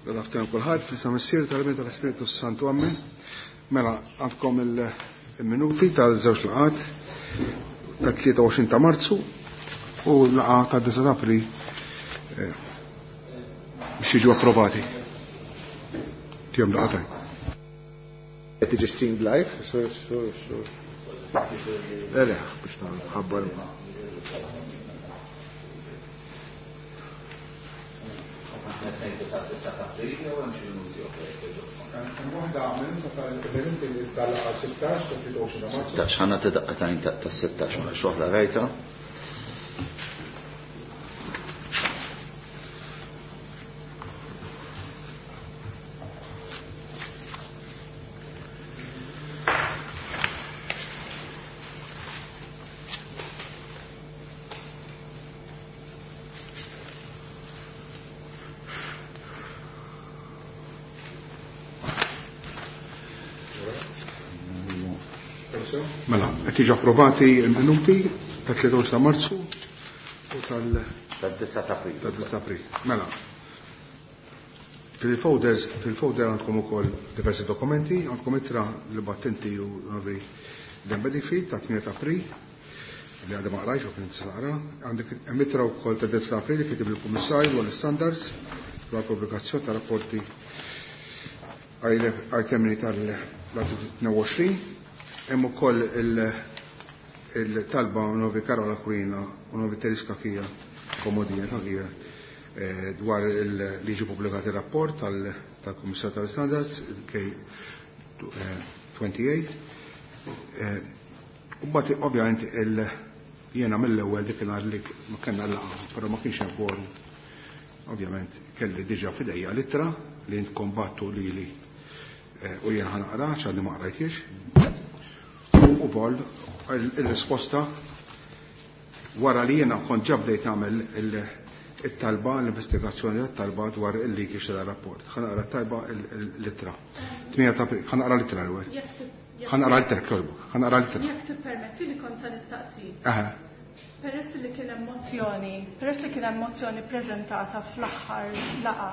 L-aftan kulħadd fl-isem Missier tal-Ibn tal-Ispiritu Santu Ammen. Mela għandkom il-minuti tal-żewġ laqgħat tat-23 ta' Marzu u laqgħa ta' 9 ta' April eh, biex jiġu approvati. Tihom laqgħa Qed tiġi streamed live, sur sur sur. Le le, biex nħabbar. Waħda minuta tal-minuti tal-laqgħa 16 ta' 23 ta' Marzu. 16 ħana tidaqqa ta' 16 ma xoħla rajta. Mela, qed jiġu approvati l-minuti ta' 23 ta' Marzu u tal Tad-9 ta' April. Tad-9 ta' April. Mela. Fil-folders, fil-folder għandkom ukoll diversi dokumenti, għandkom ittra li battinti u Novi Dan Bedingfield ta' 8 ta' April li għadha ma qrajx u kien naqra, għandek hemm ittra wkoll ta' 9 ta' April li kitib il-Kummissarju dwar l-standards dwar pubblikazzjoni ta' rapporti għal termini tal-artiklu 22, hemm ukoll il-talba Novi Karola Aquilina u Novi Teriska Kija Komodija Kakija eh, dwar il-liġi pubblikati rapport tal-Kummissar tal-Standards K28. Eh, u mbagħad ovvjament il jiena mill-ewwel dik nhar li ma kellna laqgħa, però ma kienx hemm quorum. Ovvjament kelli diġà f'idejja l-ittra li intkom battu lili eh, u jiena ħanaqra x'għadni ma qrajtiex. U wkoll il-risposta wara li jiena kont ġa bdejt nagħmel it-talba, l-investigazzjoni tat-talba dwar il-leakage tal-rapport. Ħanaqra t-talba l-ittra. 8 ta' April, ħanaqra l-ittra l-ewwel. Ħanaqra l-ittra kjoġbok, ħanaqra l-ittra. Jekk tippermetti li kont se nistaqsi. Aha. Peress li kien hemm mozzjoni, peress li kien hemm mozzjoni preżentata fl-aħħar laqgħa,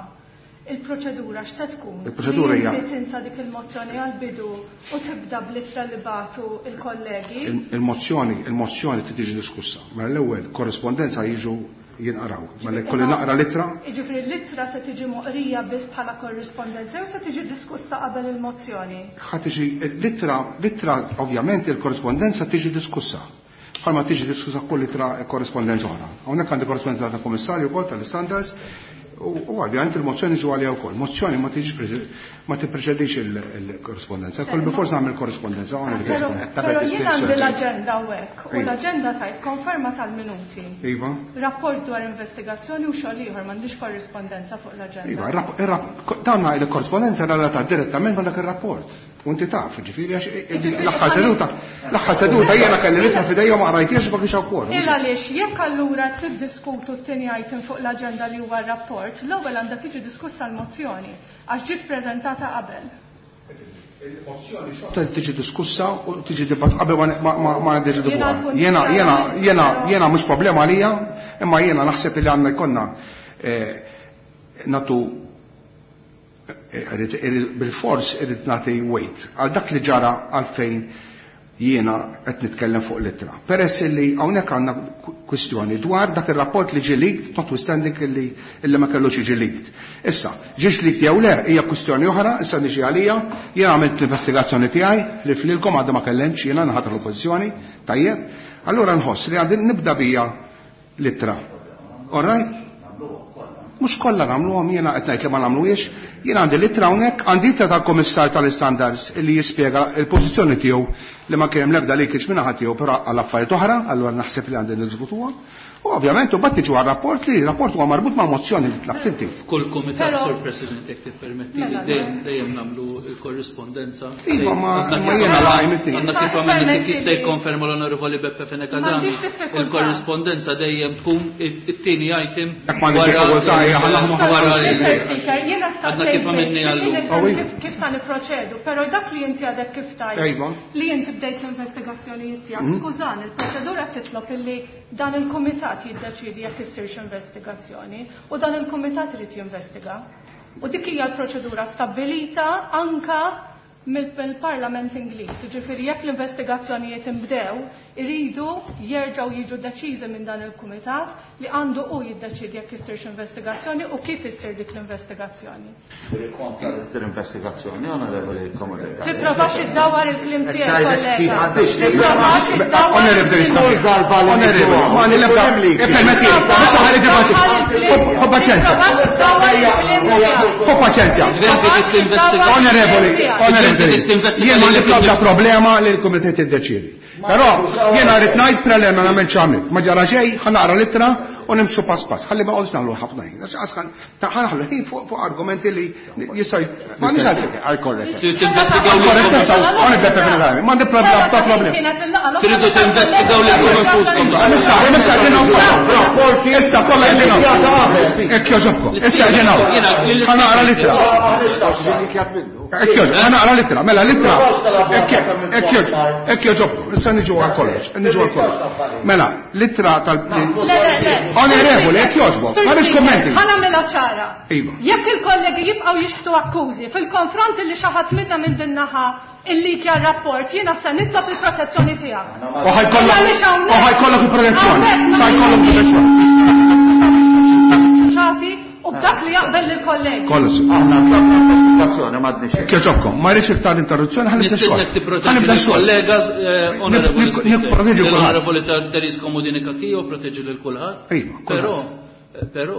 il-proċedura x'se tkun? Il-proċedura hija- Li inti tinsa dik il-mozzjoni għall-bidu u tibda bl-ittra li bagħtu il-kollegi. Il-mozzjoni, il-mozzjoni trid tiġi diskussa. Mela l-ewwel korrespondenza jiġu jinqraw. Mela jkolli naqra l-ittra. Jiġifieri l-ittra se tiġi moqrija biss bħala korrispondenza jew se tiġi diskussa qabel il-mozzjoni? Ħa tiġi l-ittra, l-ittra ovvjament il-korrispondenza tiġi diskussa. Bħalma tiġi diskussa kull ittra korrispondenza oħra. Hawnhekk għandi korrispondenza tal-Kummissarju wkoll tal-Standards u ovvjament il-mozzjoni ġu għalija wkoll. Mozzjoni ma tiġix ma tippreċedix il-korrispondenza. Kull bilfors nagħmel korrispondenza hawnhekk Però korrispondenza. però jien għandi l-aġenda hawnhekk u Iva. l-aġenda tajt konferma tal-minuti. Iva. Rapport dwar investigazzjoni u xogħol ieħor m'għandix korrispondenza fuq l-aġenda. Iva, dawn il-korrispondenza relatata direttament ma' dak ir-rapport. U inti taf, ġifieri għax l-aħħar seduta, l-aħħar seduta jiena kelli l-ittra f'idejja u ma qrajtiex ma kienx hawn quorum. Il għaliex jekk allura tiddiskutu t-tieni item fuq l-aġenda li huwa r-rapport, l-ewwel għandha tiġi diskussa l-mozzjoni għax ġiet preżentata qabel. Il-mozzjoni xorta tiġi diskussa u tiġi dibatt qabel ma niddeċidu Jiena fuqha. l-punt Jiena tiegħi jiena jiena però- jiena mhux problema għalija, imma jiena naħseb li għandna jkollna eh, natu bil-fors irrid nagħti weight għal dak li ġara għalfejn jiena qed nitkellem fuq l-ittra. Peress li hawnhekk għandna kwistjoni dwar dak ir-rapport li ġie leaked, notwithstanding illi illi ma kellux jiġi leaked. Issa, ġiex leaked jew le hija kwistjoni oħra, issa niġi għalija, jiena għamilt l-investigazzjoni tiegħi li flilkom għadha ma kellemx jiena naħat l-oppożizzjoni, tajjeb. Allura nħoss li għandi nibda bija l-ittra. All right? Mhux kollha nagħmluhom jiena qed ngħid li ma nagħmluhiex, jiena għandi l-ittra hawnhekk, għandi ittra tal-Kummissar tal-Istandards li jispjega l-pożizzjoni tiegħu li ma kien hemm l-ebda leakage minn naħa tiegħu però għal affarijiet oħra, allura naħseb li għandi niddiskutuha. U ovvjament u bat niġu għar-rapport li r-rapport huwa marbut ma' mozzjoni li tlabt inti. F'kull kumitat, Però- Sur President, jekk tippermetti li Mela, dejjem dejjem nagħmlu l-korrispondenza. Iva, ma- Għadna ma kif- jiena laqgħi mit-tini. Għadna kif għamilna kif Permetti jista' li- jikkonferma l-Onorevoli Beppe Fenech Adami. M'għandix diffikultà. Il-korrispondenza dejjem tkun it-tieni item Jekk m'għandix diffikultà, hija ħa naħdmu wara ħafna. il- Speaker, jiena Għadna staqsejt kif għamilni biex għallum. nifhem Awi. kif sa niproċedu, però dak li inti għadek kif tajt Iva. li inti bdejt l-investigazzjonijiet tiegħek. Skużani, il-proċedura titlob illi dan il-kumitat jiddeċidi jekk issirx investigazzjoni u dan il-kumitat irid jinvestiga. U dik hija l-proċedura stabbilita anka mill-Parlament Ingliż. Ġifieri jekk l-investigazzjonijiet inbdew, iridu jerġgħu jiġu deċiżi minn dan il-kumitat li għandu hu jiddeċiedi jekk issirx investigazzjoni u kif issir dik l-investigazzjoni. Kontra li ssir investigazzjoni, onorevoli Komodin. Tipprovax iddawwar il-kliem tiegħek, kollega. Tipprovax iddawwar. Onorevoli, onorevoli, ma nilebda. Ippermetti, issa ħalli dibattitu. Ħu paċenzja. Tipprovax iddawwar il-kliem tiegħek. Ħu paċenzja. Onorevoli, onorevoli, jien ma nibda problema li l-kumitat jiddeċiedi. Però jiena rrid ngħid preliminarment x'għamilt. Ma ġara xejn, ħa naqra l-ittra u nimxu pass pass. Ħalli ma qogħdux nagħmlu ħafna ħin. Ħa naħlu ħin fuq argumenti li jista' ma nix għal-korretta. Korrettezza, ma nibda preliminarment. Ma nibda problema. Tridu tinvestigaw lil infuskom. Issa, issa qegħdin hawn. Issa kollha qegħdin hawn. Hekk jogħġobkom. Issa qegħdin hawn. Ħa naqra l-ittra. Hekk ħa naqra l-ittra, mela l-ittra. Hekk jogħġobkom. Issa niġu għal kollox, niġu għal kollox. Mela, l-ittra tal Onorevoli, hekk jogħġbok. Ma rridx kummenti. Ħa nagħmilha ċara. Iva. Jekk il-kollegi jibqgħu jixħtu akkużi fil-konfront li xi ħadd minna minn din naħa illikja r-rapport, jiena se nitlob il-protezzjoni tiegħek. U ħajkollok il-protezzjoni. Sa jkollok protezzjoni. Ċati u b'dak li jaqbel lill-kollegi. Kollox. Aħna tlabna investigazzjoni m'għadniex. Hekk jogħġobkom, ma rridx iktar interruzzjoni, ħa nibda xogħol. Nistiednek tipproteġi Ħa nibda xogħol. l-kollega, onorevoli Speaker. Nipproteġi kulħadd. L-onorevoli Therese Comodini Cachia proteġi lil kulħadd. Iva, kulħadd. Però, però,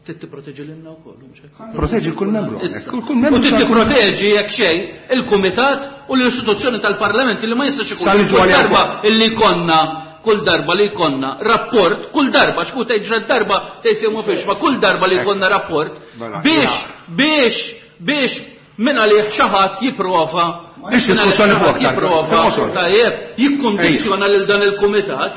trid tipproteġi lilna wkoll, mhux hekk? Proteġi kull membru. Issa. Kull membru U trid tal- tipproteġi jekk xejn il-kumitat u l-istituzzjoni tal-Parlament li ma jistax ikun. Sa niġu Kull għalija darba wkoll. illi konna, kull darba li jkollna rapport, kull darba, xku tgħid ġra darba tgħid fihom u fiex, ma kull darba li jkollna rapport Mela, biex, biex minn għalih xi ħadd jipprova, Ix minn għalih diskussjoni xi fuq ħadd aktar. jipprova, Fil-qosor. tajjeb, jikkondizzjona lil dan il-kumitat,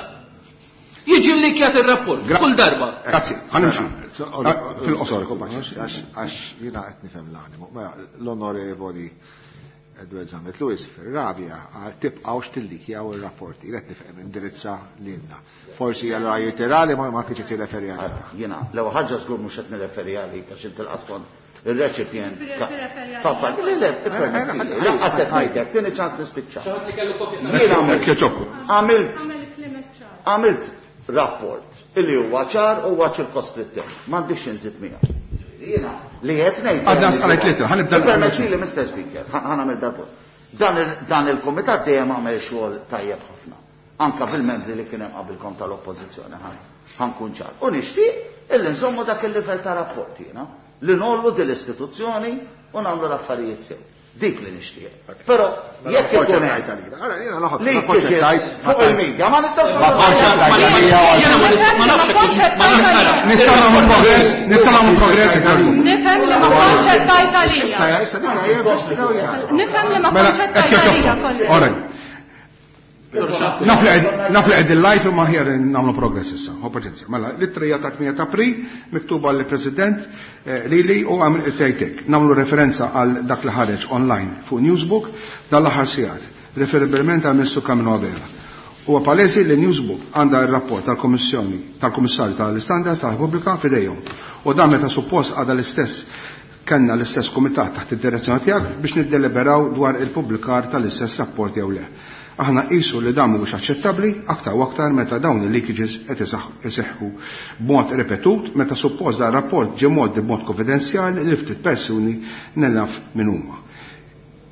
jiġi li kjat il-rapport, kull darba. Grazzi, ħa nimxu. Fil-qosor. Għax jiena qed nifhem l-animu. Mela, l-onorevoli Edward Zammit Lewis fir-rabja għal tibqgħux tillikjaw ir-rapporti. Qed nifhem indirizza lilna. Forsi allura jirtirali ma kienx qed jirreferi għalina. Jiena, l-ewwel ħaġa żgur mhux qed nirreferi għalik għax inti l-qaskom il-recipient. Tirreferi għalija. Faffa, le, le, ippermetti, lanqas qed ngħidlek, tieni ċans nispiċċa. Xi ħadd li kellu kopja. Jiena Hekk jogħġobkom. Għamel il-kliem ċar. għamilt rapport illi huwa ċar u huwa ċirkoskrittiv. M'għandix inżid miegħu. Jiena li qed ngħid. Għadna sqalajt litra, ħa nibda l- Permetti li Mr. Speaker, ħa nagħmel dal-punt. Dan il-kumitat dejjem għamel xogħol tajjeb ħafna. Anka bil-membri li kien hemm qabilkom tal-oppożizzjoni, ħankun ċar. U nixtieq illi nżommu dak il-livell ta' rapport jiena, li nollu din l-istituzzjoni u nagħmlu l-affarijiet sew. Dik li nixtieq. Però jekk ikun hemm li jiġi fuq il-media ma nistgħux Jiena ma nista' ma nafx hekk ma nafx nara. Nistgħu nagħmlu progress, nistgħu nagħmlu progress hekk jogħġbok. Nifhem li ma kontx qed tgħid għalija. Issa, issa, dik hija investigaw hija. Nifhem li ma Mela, kontx qed hekk tgħid għalija, jogħġobkom. kollega. All right. Naf li qed il-live imma ħjar nagħmlu progress issa. Ħu paċenzja. Mela, l-ittra hija ta' 8 ta' April miktuba lill-President lili u għamil tgħidlek. Nagħmlu referenza għal dak li ħareġ online fuq Newsbook dan l-aħħar sigħat, referibilment għal Ministru Carmelo Abela. Huwa palesi li Newsbook għandha r-rapport tal-Kommissjoni tal-Kummissarju tal-Istandards tal-Repubblika f'idejhom. U dan meta suppost għadha l-istess kellna l-istess kumitat taħt id-direzzjoni tiegħek biex niddeliberaw dwar il-pubblikar tal-istess rapport jew le. Aħna qisu li dan mhuwiex aċċettabbli aktar u aktar meta dawn il-leakages qed iseħħu b'mod ripetut meta suppost dan rapport ġie mgħoddi b'mod konfidenzjali li ftit persuni nellaf min huma.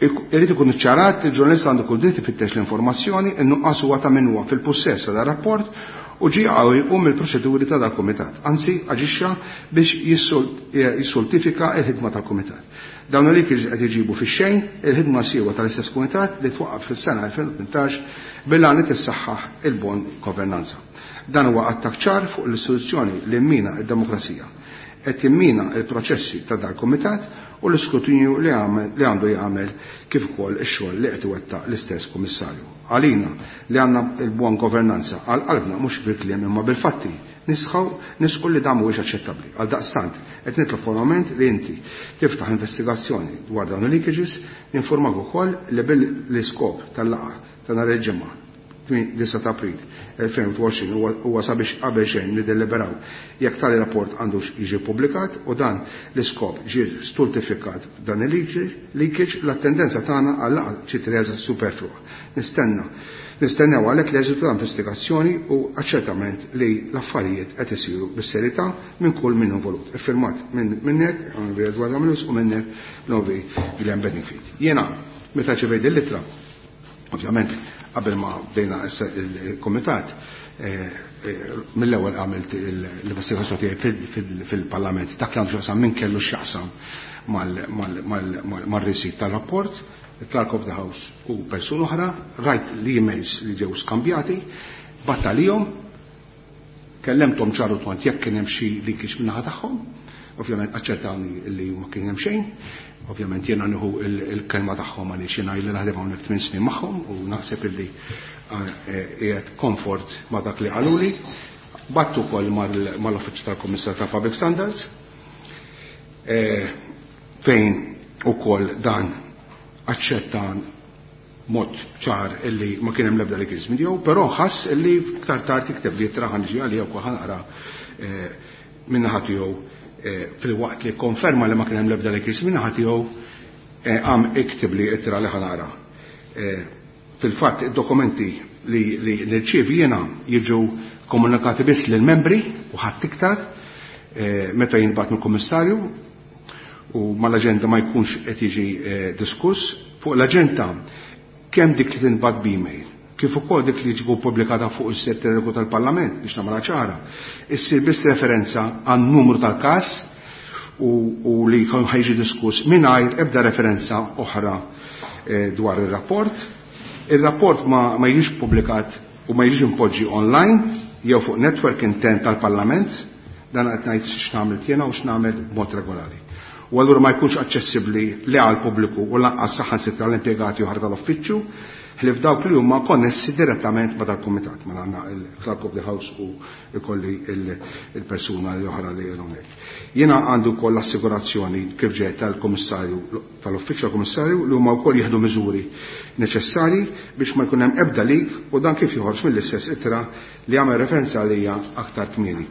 Irid ikun iċċarat li l-ġurnalist għandu kull dritt ifittex l-informazzjoni, in-nuqqas huwa ta' min huwa fil-pussess ta' dan rapport u ġie qawwi jqum mill-proċeduri ta' dal-kumitat. Anzi, aġixxa biex jissultifika l-ħidma tal-kumitat. Dawn il-leakages qed iġibu fix-xejn il-ħidma siewa tal-istess kumitat li twaqqaf fis-sena 2018 bil-għan li tissaħħaħ il-bon governanza. Dan huwa attakk ċar fuq l-istituzzjoni li mmina d-demokrazija. Qed jimmina l-proċessi ta' dal-kumitat u l-iskrutinju li għandu jagħmel kif ukoll ix-xogħol li qed iwettaq l-istess kummissarju. Għalina li għandna l-buon governanza għal qalbna mhux bil-kliem imma bil-fatti nisqu li dan mhuwiex aċċettabbli. Għal daqstant qed nitlob formalment li inti tiftaħ investigazzjoni dwar dawn il-leakages, ninformak ukoll li bil-iskop tal-laqgħa ta' nhar il-ġimgħa 9 ta' April 2020 huwa sabiex qabel xejn niddeliberaw jekk tali rapport għandux jiġi ppubblikat u dan l-iskop ġie stultifikat dan il-leakage l-attendenza tagħna għal laqgħa ġiet reża superflua. Nistenna Nistennew għalhekk l-eżitu ta' investigazzjoni u aċċertament li l-affarijiet qed isiru bis-serjetà minn kull min involut. Iffirmat minn minnek, Onorevoli Edward Amilus, u minnek l-Onorevoli Glenn Bedingfield. Jiena meta ċevejt l-ittra, ovvjament qabel ma bdejna il-komitat, mill-ewwel għamilt l-investigazzjoni tiegħi fil-Parlament dak li għandu x'jaqsam min kellu x'jaqsam mar-receipt tal-rapport, il-Clerk of the House u persuna oħra, rajt l-emails li ġew skambjati, bgħatt għalihom, kellemthom ċaru twant jekk kien hemm xi leakage min-naħa tagħhom, ovvjament aċċertawni li ma kien hemm xejn, ovvjament jiena nieħu il-kelma tagħhom għaliex jiena ili naħdem hawnhekk 8 snin magħhom u naħseb illi qiegħed komfort ma' dak li qaluli. Bgħatt ukoll mal-Uffiċċju tal-Kummissar ta' Public Standards fejn ukoll dan aċċetta mod ċar illi ma kien hemm l-ebda leakage minn tiegħu, però ħass illi iktar tard jikteb li ittra ħa niġi għalija wkoll ħa naqra min-naħa tiegħu fil-waqt li konferma li ma kien hemm l-ebda leakage min-naħa tiegħu għam iktib li ittra li ħa naqra. Fil-fatt id-dokumenti li nirċievi jiena jiġu komunikati biss lill-membri u ħadd iktar meta jinbagħat mill-Kummissarju u mal-aġenda ma jkunx qed jiġi diskuss. Fuq l-aġenda kemm dik li tinbagħat b'email, kif ukoll dik li jiġu pubblikata fuq is-sit elettroniku tal-Parlament biex nagħmilha ċara, issir biss referenza għan-numru tal-każ u li jkun ħa jiġi diskuss mingħajr ebda referenza oħra dwar ir-rapport. Ir-rapport ma jiġix pubblikat u ma jiġix impoġġi online jew fuq network intern tal-Parlament, dan qed ngħid x'nagħmel jiena u x'nagħmel b'mod regolari. U allura ma jkunx aċċessibbli li għal pubbliku u lanqas saħansitra l-impjegati oħra tal-uffiċċju, ħlief dawk li huma konnessi direttament ma' dal-kumitat, ma għandna il-Clerk of the House u ikolli il-persuna li oħra li hawnhekk. Jiena għandu wkoll l-assigurazzjoni kif ġejt tal-Kummissarju tal-Uffiċċju tal-Kummissarju li huma wkoll jieħdu miżuri neċessarji biex ma jkun hemm ebda leak u dan kif joħroġ mill-istess ittra li għamel referenza għalija aktar kmieni.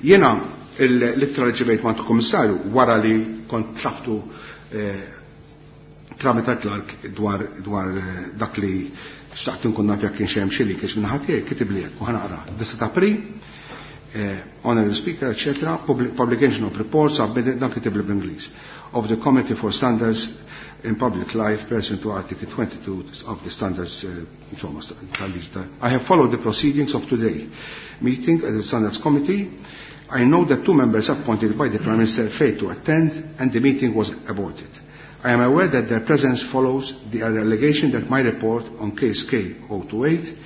Jiena l-ittra li ġibejt ma' kummissarju wara li kont tlabtu tramite Clark dwar dak li xtaqt nkun naf jekk kienx hemm xi leakage minn ħadd tiegħi kitib li hekk u ħa naqra. 9 ta' April, Honorable Speaker, etc., publication of reports submitted, dan kitib li bl-Ingliż, of the Committee for Standards in Public Life, pursuant to Article 22 of the Standards, insomma, tal-liġi I have followed the proceedings of today meeting at the Standards Committee. I know that two members appointed by the Prime Minister failed to attend and the meeting was aborted. I am aware that their presence follows the allegation that my report on case K028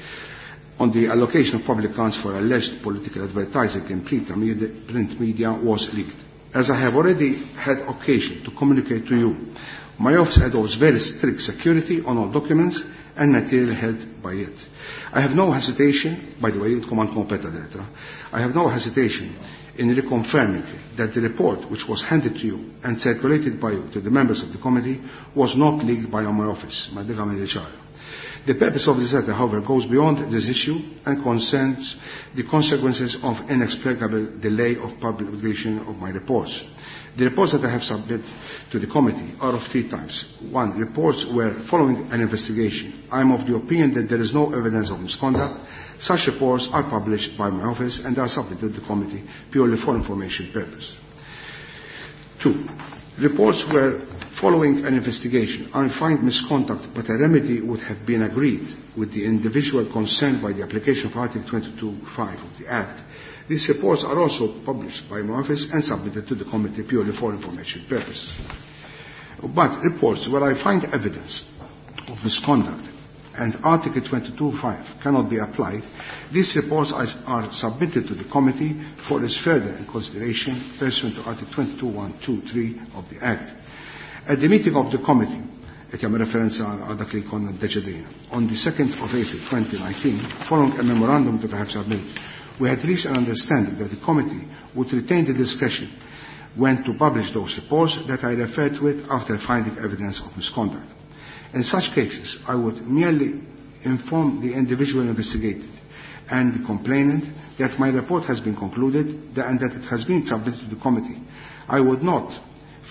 on the allocation of public funds for alleged political advertising in print media was leaked. As I have already had occasion to communicate to you, my office adopts very strict security on all documents and material held by it. I have no hesitation, by the way, intkom għandkom kopja tal-ittra, I have no hesitation in reconfirming that the report which was handed to you and circulated by you to the members of the committee was not leaked by my office. Ma dik għamel ċara. The purpose of this letter, however, goes beyond this issue and concerns the consequences of inexplicable delay of publication of my reports. The reports that I have submitted to the committee are of three types. One, reports where, following an investigation, I am of the opinion that there is no evidence of misconduct. Such reports are published by my office and are submitted to the committee purely for information purpose. Two, reports where, following an investigation, I find misconduct, but a remedy would have been agreed with the individual concerned by the application of Article 22.5 of the Act. These reports are also published by my office and submitted to the committee purely for information purpose. But reports where I find evidence of misconduct and Article 22.5 cannot be applied, these reports are submitted to the committee for its further consideration pursuant to Article 22.1.2.3 of the Act. At the meeting of the committee, qed jagħmel referenza għal dak li konna ddeċidejna, on the 2nd of April 2019, following a memorandum that I have submitted, we had reached an understanding that the committee would retain the discretion when to publish those reports that I referred to it after finding evidence of misconduct. In such cases, I would merely inform the individual investigated and the complainant that my report has been concluded and that it has been submitted to the committee. I would not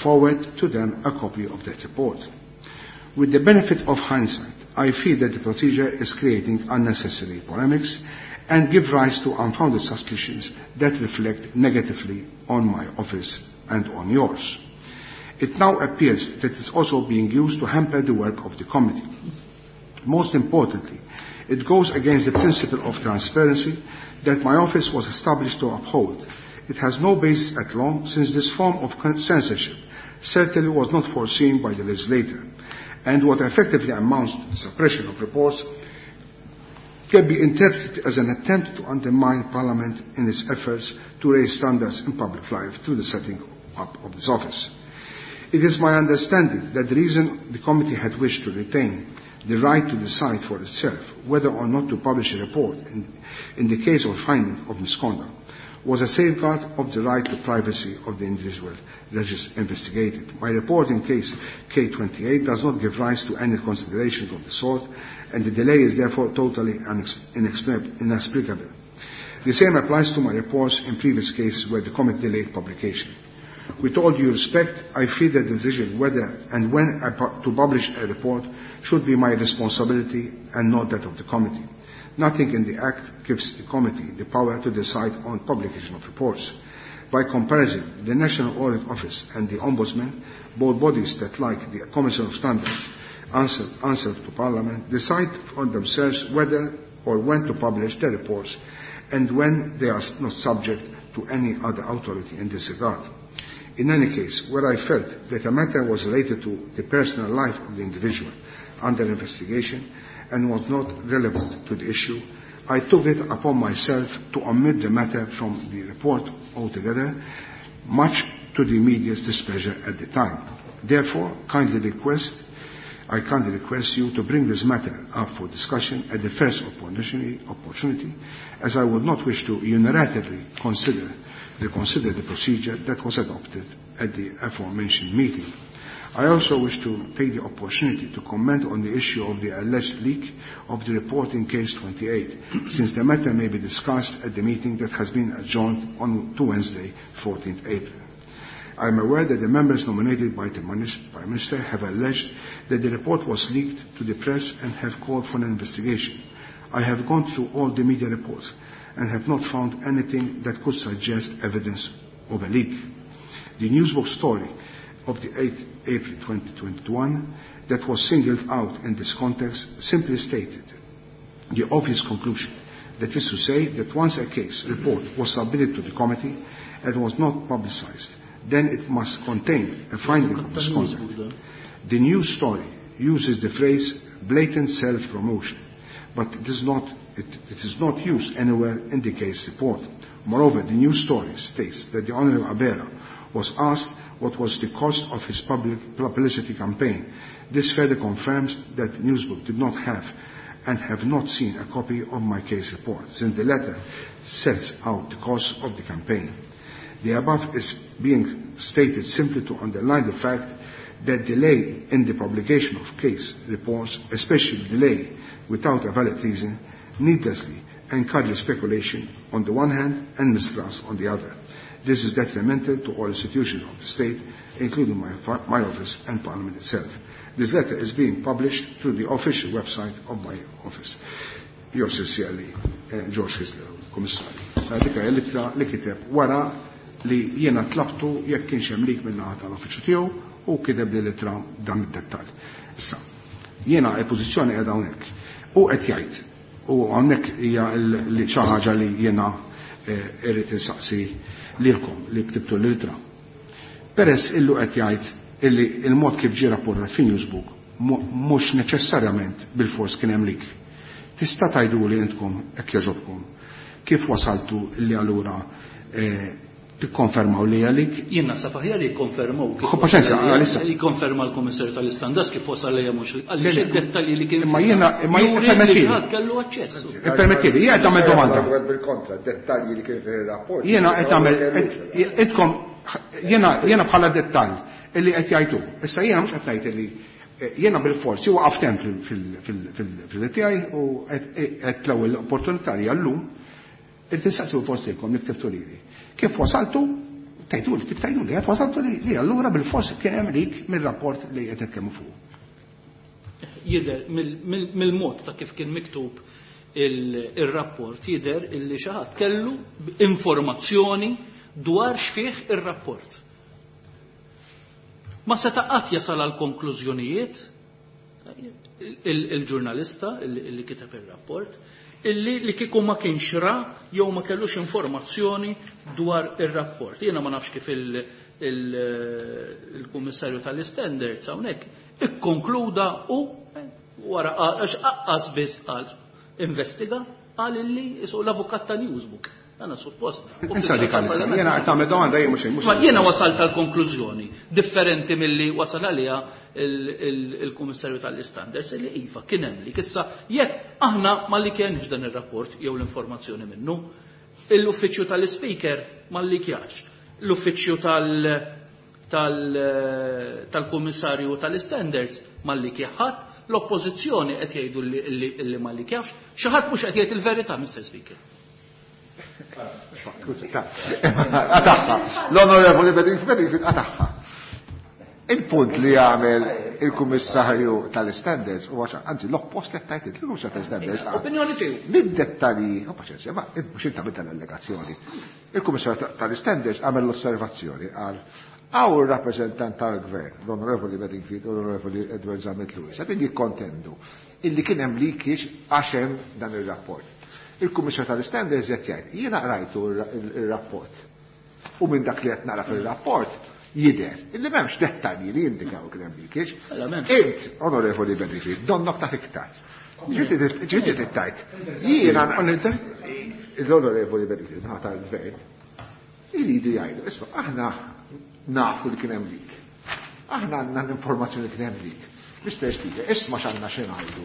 forward to them a copy of that report. With the benefit of hindsight, I feel that the procedure is creating unnecessary polemics and give rise to unfounded suspicions that reflect negatively on my office and on yours. It now appears that it's also being used to hamper the work of the committee. Most importantly, it goes against the principle of transparency that my office was established to uphold. It has no basis at law since this form of censorship certainly was not foreseen by the legislator, and what effectively amounts to the suppression of reports can be interpreted as an attempt to undermine Parliament in its efforts to raise standards in public life through the setting up of this office. It is my understanding that the reason the committee had wished to retain the right to decide for itself whether or not to publish a report in the case of finding of misconduct was a safeguard of the right to privacy of the individual that is investigated. My report in case K28 does not give rise to any considerations of the sort, and the delay is therefore totally inexplicable. The same applies to my reports in previous cases where the committee delayed publication. With all due respect, I feel that the decision whether and when to publish a report should be my responsibility and not that of the committee. Nothing in the Act gives the committee the power to decide on publication of reports. By comparison, the National Audit Office and the Ombudsman, both bodies that, like the Commission of Standards, answer to Parliament, decide for themselves whether or when to publish their reports and when they are not subject to any other authority in this regard. In any case, where I felt that a matter was related to the personal life of the individual under investigation and was not relevant to the issue, I took it upon myself to omit the matter from the report altogether, much to the media's displeasure at the time. Therefore, I kindly request you to bring this matter up for discussion at the first opportunity, as I would not wish to unilaterally reconsider the procedure that was adopted at the aforementioned meeting. I also wish to take the opportunity to comment on the issue of the alleged leak of the report in case 28, since the matter may be discussed at the meeting that has been adjourned on to Wednesday, 14th April. I am aware that the members nominated by the Prime Minister have alleged that the report was leaked to the press and have called for an investigation. I have gone through all the media reports and have not found anything that could suggest evidence of a leak. The Newsbook story of the 8th April 2021 that was singled out in this context simply stated the obvious conclusion, that is to say that once a case report was submitted to the committee and was not publicized, then it must contain a finding of misconduct. The news story uses the phrase blatant self-promotion, but it is not used anywhere in the case report. Moreover, the news story states that the Honorable Abela was asked what was the cost of his public publicity campaign. This further confirms that Newsbook did not have and have not seen a copy of my case report, since the letter sets out the cost of the campaign. The above is being stated simply to underline the fact that delay in the publication of case reports, especially delay without a valid reason, needlessly encourages speculation on the one hand and mistrust on the other. This is detrimental to all institutions of the state, including my office and Parliament itself. This letter is being published through the official website of my office. Yours sincerely, George Hyzler, Kummissarju. Dik hija l-ittra li kiteb wara li jiena tlabtu jekk kienx hemm leak min-naħa tal-uffiċċju tiegħu u kiteb li l-ittra dan id-dettall. Issa, jiena il-pożizzjoni qiegħda hawnhekk. U qed jgħid, u hawnhekk hija xi ħaġa li jiena irrid insaqsi lilkom li ktibtu l-ittra. Peress illu qed jgħid illi il-mod kif ġie rapportat fi Newsbook mhux neċessarjament bil-fors kien hemm leak. Tista' tgħiduli intkom hekk jogħġobkom kif wasaltu li allura tikkonfermaw li għalik? Jien naħseb aħjar jikkonfermaw kif Paċenza, għalissa. Jikkonferma l-Kummissarju tal-Istandards kif wasal lejja mhux għaliex id-dettalji li kien Imma jiena, imma juri li permettili. ħadd kellu aċċess. Ippermettili, jien qed nagħmel domanda. Bil-kontra, dettalji li kien fir-rapport. Jiena qed nagħmel, intkom, jiena bħala dettall illi qed jgħidu. Issa jiena mhux qed ngħid illi Jiena bil-forsi waqaft hemm fil-tiegħi u qed l-ewwel opportunità li llum irid insaqsi forsi lilkom li ktibtu lili. Kif wasaltu tgħidu li tgħidu li qed wasaltu li allura bil-fors kien hemm leak mir-rapport li qed nitkellmu fuq. Jidher mill-mod ta' kif kien miktub il-rapport jidher illi xi ħadd kellu informazzjoni dwar x'fih ir-rapport. Ma seta' qatt jasal għal konklużjonijiet il-ġurnalista illi kiteb ir-rapport illi li kieku ma kienx ra jew ma kellux informazzjoni dwar ir-rapport. Jiena ma nafx kif il-Kummissarju tal-Standards hawnhekk ikkonkluda u wara għax aqqas biss qal investiga qal illi isu l-avukat ta' Newsbook. Għana suppost. Insa dik għalissa, jiena qed tagħmel domanda jien mhux Ma jiena wasalt għal konklużjoni differenti milli wasal għaliha il-Kummissarju tal-Standards li iva kien hemm li issa jekk aħna ma li kienx dan ir-rapport jew l-informazzjoni minnu, l-uffiċċju tal-Speaker ma li kjax, l-uffiċċju tal-Kummissarju tal-Standards ma li kjaħat, l-oppożizzjoni qed jgħidu li ma li kjax, xi ħadd mhux qed jgħid il-verità, Mr. Speaker. Għataħħa. L-Onorevoli Bedingfield għataħħa. Il-punt li għamel il-Kummissarju tal-Standards u għaxa, anzi l-oppost li tajt il-Kummissarju tal-Standards. Opinjoni tiegħu. Mid-dettalji, u paċenzja, ma mhux inta minn tal-allegazzjoni. Il-Kummissarju tal-Standards għamel l-osservazzjoni għal għaw il-rappresentant tal-Gvern, l-Onorevoli Bedingfield u l-Onorevoli Edward Zammit Lewis, għadin jikkontendu illi kien hemm leakage għax hemm dan ir-rapport. Il-Kummissarju tal-Standards qed jgħid, jiena qrajtu ir-rapport. U minn dak li qed nara fir-rapport jidher illi m'hemmx dettalji li jindikaw kien hemm leakage. Int, Onorevoli Bedingfield, donnok taf iktar. Ġieti tittajt. Jiena l-Onorevoli Bedingfield ħata l-Gvern iridu jgħidu, isma' aħna nafu li kien hemm leak. Aħna għandna l-informazzjoni li kien hemm leak. Mr. Speaker, isma' x'għandna xi ngħidu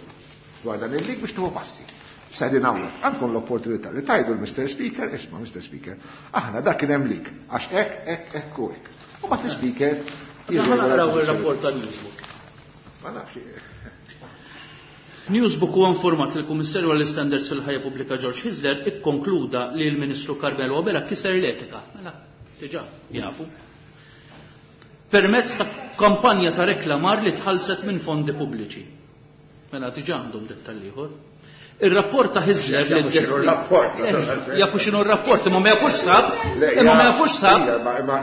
dwar dan il-leak biex tieħu passi. Sedin hawnhekk, għandkom l-opportunità li tajdu l-Mr. Speaker, isma' Mr. Speaker, aħna dak kien hemm leak, għax hekk, hekk, hekk u hekk. U mbagħad l-Speaker Aħna naqraw ir-rapport tal-Newsbook. Ma nafx. Newsbook huwa informat li l-Kummissarju għall-Standards fil-Ħajja Pubblika George Hyzler ikkonkluda li l-Ministru Carmelo Abela kiser l-etika. Mela, diġà jafu. Permezz ta' kampanja ta' reklamar li tħallset minn fondi pubbliċi. Mela diġà għandhom dettall ieħor. Ir-rapport ta' Hyzler li Jafu x'inhu r-rapport, Jafu x'inhu r-rapport, imma ma jafux sab, imma ma jafux sab,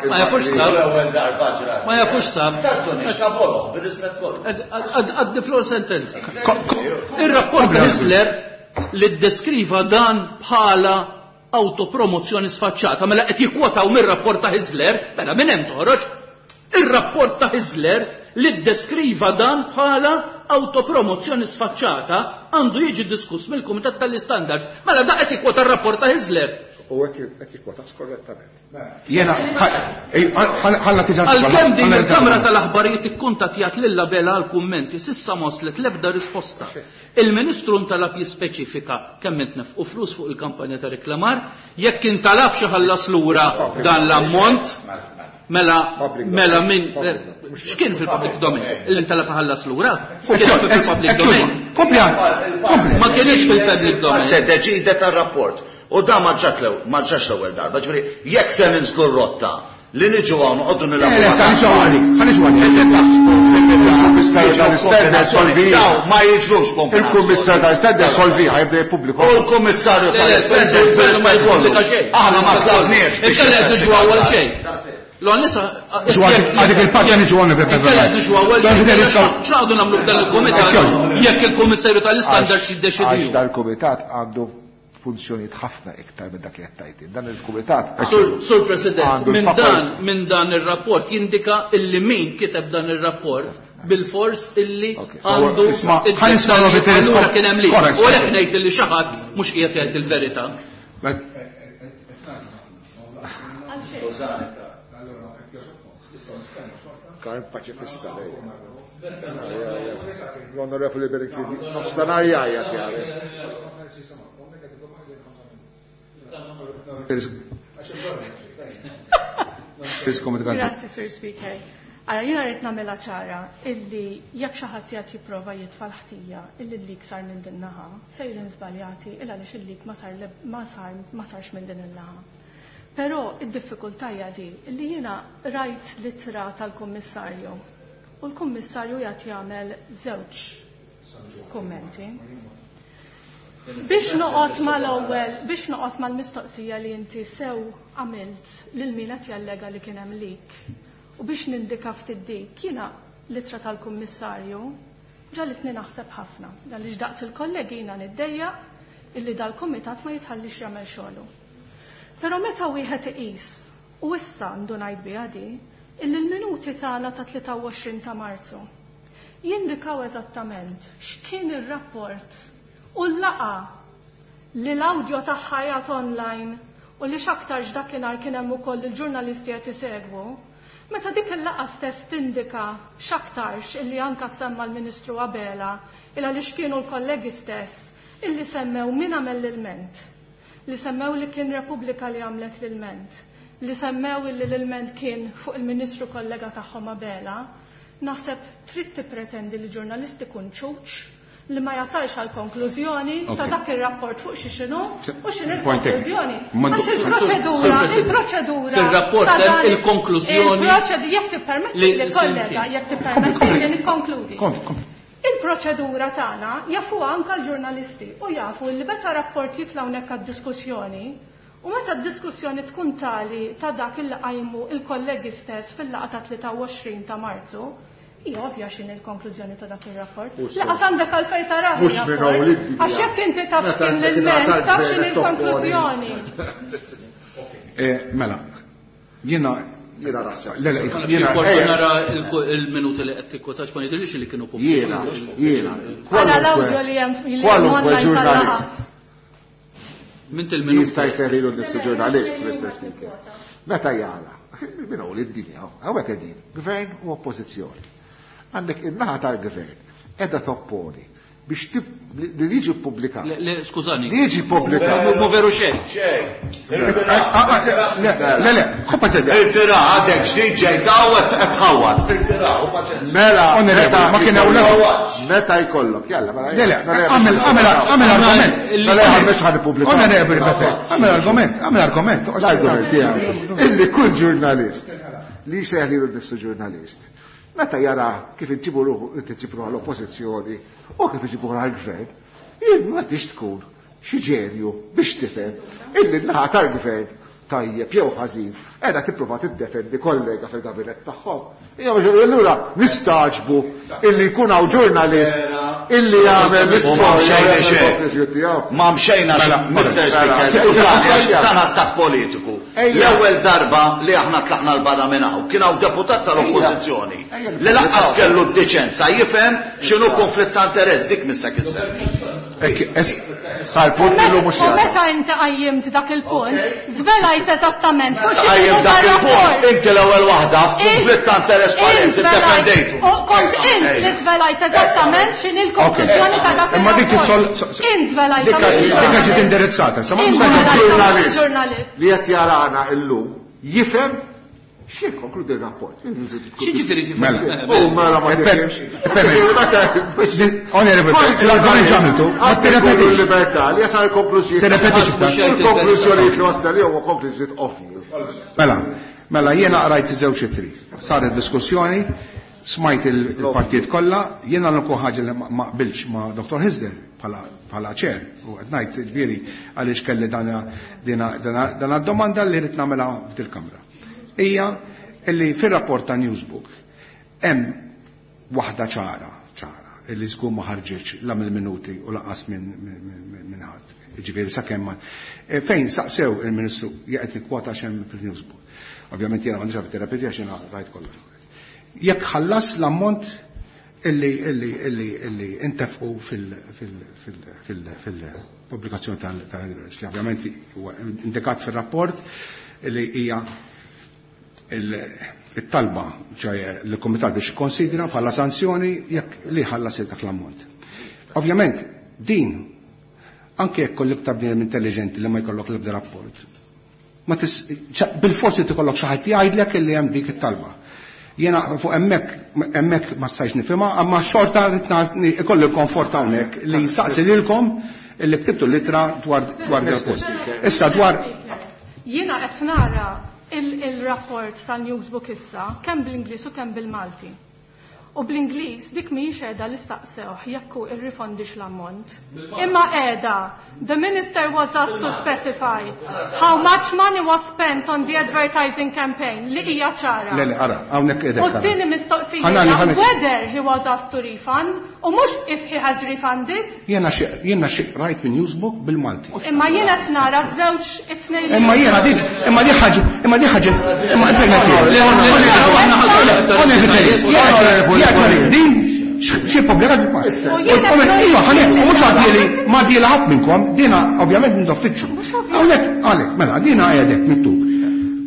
ma jafux sab. L-ewwel darba ġrat. Ma jafux sab. Tattuni, x'tabolhom, bir-rispett kollu. Għaddi flor sentenza. Ir-rapport ta' Hyzler li ddeskriva dan bħala autopromozzjoni sfaċċata, mela qed jikkwotaw mir-rapport ta' Hyzler, mela minn hemm toħroġ. Ir-rapport ta' Hyzler li ddeskriva dan bħala autopromozzjoni sfaċċata għandu jiġi diskuss mill-Kumitat tal-Standards. Mela da qed jikkwota r-rapport ta' Hyzler. U qed jikkwota skorrettament. Jiena, ħalla tiġa Għalkemm din il-Kamra tal-Aħbarijiet ikkuntattjat lil Abela għal kummenti s'issa ma waslet l-ebda risposta. Il-Ministru ntalab jispeċifika kemm intnefqu flus fuq il-kampanja ta' reklamar, jekk intalab xi ħallas lura dan l-ammont, mela, mela min, x'kien fil-public domain? Illi intalab ħallas lura? Kien fil-public domain. Kompli, kompli. Ma kienx fil-public domain. Deċide tar-rapport. U da ma ġatx l-ewwel darba, ġifieri jekk se ninżlu r-rotta li niġu hawn noqogħdu nilagħbu. Le, sa niġu hawn, ħa niġu hawn. Il-Kummissarju tal-Standards solvi. Daw ma jiġrux kombinazzjoni. Il-Kummissarju tal-Standards solvi ħajbda jippubblika. U l-Kummissarju Le, le, tal-Standards ma jippubblika xejn. Aħna ma tlabniex biex Inkella qed niġu hawn xejn. L-għan nisa, Niġu għadik il-parti niġu għan nibda. Inkella qed niġu hawn Dan xejn. fidel issa. X'għadu nagħmlu f'dan il-kumitat? Jekk il-Kummissarju tal-Standards jiddeċidi. Għax dal-kumitat għandu funzjonijiet ħafna iktar minn dak li qed tgħid. Dan il-kumitat Sur President, għandu l-fakultà. minn dan ir-rapport jindika illi min kiteb dan ir-rapport bil-fors illi Ok, so, għandu isma', id-dettalji ħa nisma' Robert Telescope. allura kien hemm li. Correct, U għalhekk correct. ngħid illi xi ħadd mhux qiegħed jgħid il-verità. Karm paċifista lej. L-Onorevoli Bedingfield, nofstanhar jgħajjat jgħajjat. Grazie, Sir Speaker. Ara, jiena rrid nagħmilha ċara illi jekk xi ħadd qiegħed jipprova jitfa' l-ħtija illi l-leak sar minn din naħa, sejrin żbaljati il għaliex il-leak ma sar ma sar ma sarx minn din in-naħa. Però id-diffikultà hija di illi jiena rajt l-ittra tal-Kummissarju u l-Kummissarju qiegħed jagħmel żewġ kummenti. Biex noqgħod mal-ewwel, biex noqgħod mal-mistoqsija li inti sew għamilt lil min qed jallega li kien hemm leak u biex nindika ftit dik, jiena l-ittra tal-Kummissarju ġagħlitni naħseb ħafna għaliex daqs il-kollegi jiena niddejjaq illi dal-kumitat ma jitħallix jagħmel xogħlu. Però meta wieħed iqis, u issa ndunajt biha di, illi l-minuti tagħna ta' 23 ta' Marzu jindikaw eżattament x'kien ir-rapport u l-laqgħa li l-awdjo tagħha qiegħed online u li x'aktarx dakinhar kien hemm ukoll il-ġurnalisti qed isegwu, meta dik il-laqgħa stess tindika x'aktarx illi anka semma l-Ministru Abela il għaliex kienu l-kollegi stess illi semmew min għamel l-ilment, li semmew li kien Repubblika li għamlet l-ilment, li semmew illi l-ilment kien fuq il-Ministru kollega tagħhom Abela, naħseb trid tippretendi li ġurnalist ikun ċuċ li ma jasalx għal konklużjoni ta' dak ir-rapport fuq xi x'inhu u x'inhi l-konklużjoni. Għax il-proċedura, il-proċedura. Fil-rapport hemm il-konklużjoni. Il-proċedura, jekk tippermetti li kollega, jekk tippermetti li nikkonkludi. Il-proċedura tagħna jafuha anke l-ġurnalisti u jafu li meta rapport jitla' hawnhekk għad-diskussjoni u meta d-diskussjoni tkun tali ta' dak il qajmu il-kollegi stess fil-laqgħa ta' 23 ta' Marzu, hija ovvja x'inhi l-konklużjoni ta' dak ir-rapport. Laqas għandek għalfejn tarah ir-rapport. Għax jekk inti taf x'kien l-ilment, taf x'inhi l-konklużjoni. Mela, jiena Jiena naħseb. Le, le, jiena nara il-minuti li qed tikkwotax ma jidhirlix li kienu pubbliċi. Jiena, jiena. Ara l-awdjo li hemm Kwalunkwe ġurnalist. Mint il-minuti. Jista' jsejħilu nnifsu ġurnalist, Mr. Speaker. Meta jara, minn hawn id-dinja, hawnhekk qegħdin, gvern u oppożizzjoni. Għandek in-naħa tal-gvern qiegħda topponi biex li jiġi ppubblikat. Le, skużani. Li jiġi ppubblikat. Mu veru xejn. Xejn. Le, le, ħu paċenzja. Irtira, għadek ġdid ġejta u qed tħawwad. Irtira, u paċenzja. Mela, Onorevoli, ma kien hawn Meta jkollok, jalla, mela. Le, le, għamel, għamel, għamel argument. Mela, mhux ħa nippubblika. Onorevoli, għamel argument, għamel argument. L-argument tiegħi. Illi kull ġurnalist li jsejjaħ lilu nnifsu ġurnalist, meta jara kif inġibu ruħu, inti ruħu l-oppożizzjoni u kif iġibu ruħu l-gvern, jien ma tix tkun xi ġenju biex tifhem illi n-naħa tal-gvern tajjeb jew ħażin qiegħda tipprova tiddefendi kollega fil-gabinett tagħhom. Hija biex allura nistagħġbu illi jkun hawn ġurnalist illi jagħmel l-istorja. Ma mxejna Mr. Speaker, skużani għax dan attakk politiku. L-ewwel darba li aħna tlaqna 'l barra minn hawn kien hawn deputat tal-Oppożizzjoni li lanqas kellu d-diċenza jifhem x'inhu konflitt ta' interess dik missek issemmi. Sar punt li mhux U meta inti qajjimt dak il-punt, żvelajt eżattament fuq xi Qajjimt dak il-punt, inti l-ewwel waħda f'kunflitt ta' interess palesi ddefendejtu. U kont int li żvelajt eżattament x'inhi l-konklużjoni ta' dak Imma dik il-rapport. Int żvelajt. Dik ġiet indirizzata, sa ma ġurnalist li qed jarana llum jifhem x'jikkonkludi r-rapport. X'jiġifieri tifhem? U mela ma tifhimx. Onorevoli, l-argument ġamiltu, ma tirrepetix. Il-libertà li jasal il-konklużjoni. Tirrepetix iktar. Il-konklużjoni li wasla li huwa konklużjoni ovvji. Mela, mela jiena qrajt żewġ ittri. Saret diskussjoni, smajt il-partijiet kollha, jiena l-unika ħaġa li ma qbilx ma' Dr. Hyzler bħala ċer, u qed ngħid ġifieri għaliex kelli dana domanda li rrid nagħmilha f'dil-kamra. Hija illi fir-rapport ta' Newsbook hemm waħda ċara, ċara, illi żgur ma ħarġitx la mill-minuti u lanqas minn ħadd. Ġifieri sakemm ma fejn saqsew il-Ministru jaqgħed nikkwota x'hemm fil-Newsbook. Ovvjament jiena m'għandix għalfejn tirrepeti għax jiena rajt kollox. Jekk ħallas l-ammont illi intefqu fil-pubblikazzjoni tal-li ovvjament huwa indikat fir-rapport illi hija il-talba ċaj l-Komitat biex ikkonsidra bħala sanzjoni jekk li ħallas dak l-ammont. Ovvjament din anke jekk kollok ta' bniedem intelligenti li ma jkollok l-ebda rapport, ma bil-forsi tikollok xi ħadd jgħidlek illi hemm dik it-talba. Jiena fuq hemmhekk ma stajtx nifhimha, imma xorta rrid ikolli l-komfort hawnhekk li nsaqsi lilkom illi ktibtu l-ittra dwar dwar Issa dwar Jiena qed nara il-rapport tal-Newsbook issa kemm bl-Ingliż u kemm bil-Malti. U bl-Ingliż dik mhijiex qiegħda li staqsewh jekk hu irrifondix l-ammont. Imma qiegħda, the minister was asked to specify how much money was spent on the advertising campaign li hija ċara. Le, le, ara, hawnhekk qiegħda. U t-tieni mistoqsija whether he was asked to refund u mhux if he has refunded. Jiena xi jiena xi rajt minn Newsbook bil-Malti. Imma jiena qed nara żewġ it-tnejn. Imma jiena dik, imma dik ħaġa, imma dik ħaġa, imma Din xi pubblikat Iva, ħanek, u mhux għaddieli ma għaddieli ħadd minnkom, dina ovvjament minn uffiċċju. Hawnhekk għalhekk, mela dina qiegħdek miktub.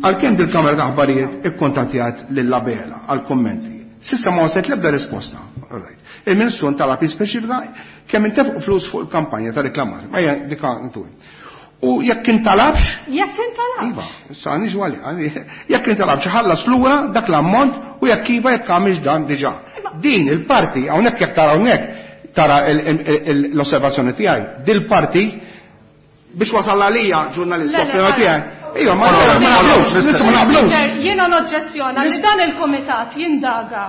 Għalkemm dil-Kamra ta' Aħbarijiet ikkuntattjat lil Abela għal kummenti. S'issa ma waslet l-ebda risposta. Il-Ministru ntalab jispeċifika kemm intefqu flus fuq il-kampanja ta' reklamar. Ma hija dika intu. U jekk intalabx? Jekk intalabx. Iva, issa niġu għalih. Jekk intalabx ħallas lura dak l-ammont u jekk iva jekk għamilx dan diġà. Din il-parti hawnhekk jekk tara hawnhekk tara l-osservazzjoni tiegħi, dil-parti biex wasal għalija ġurnalist opinjoni tiegħi. Iva, ma naqblux, ma naqblux. Jiena noġġezzjona li dan il-kumitat jindaga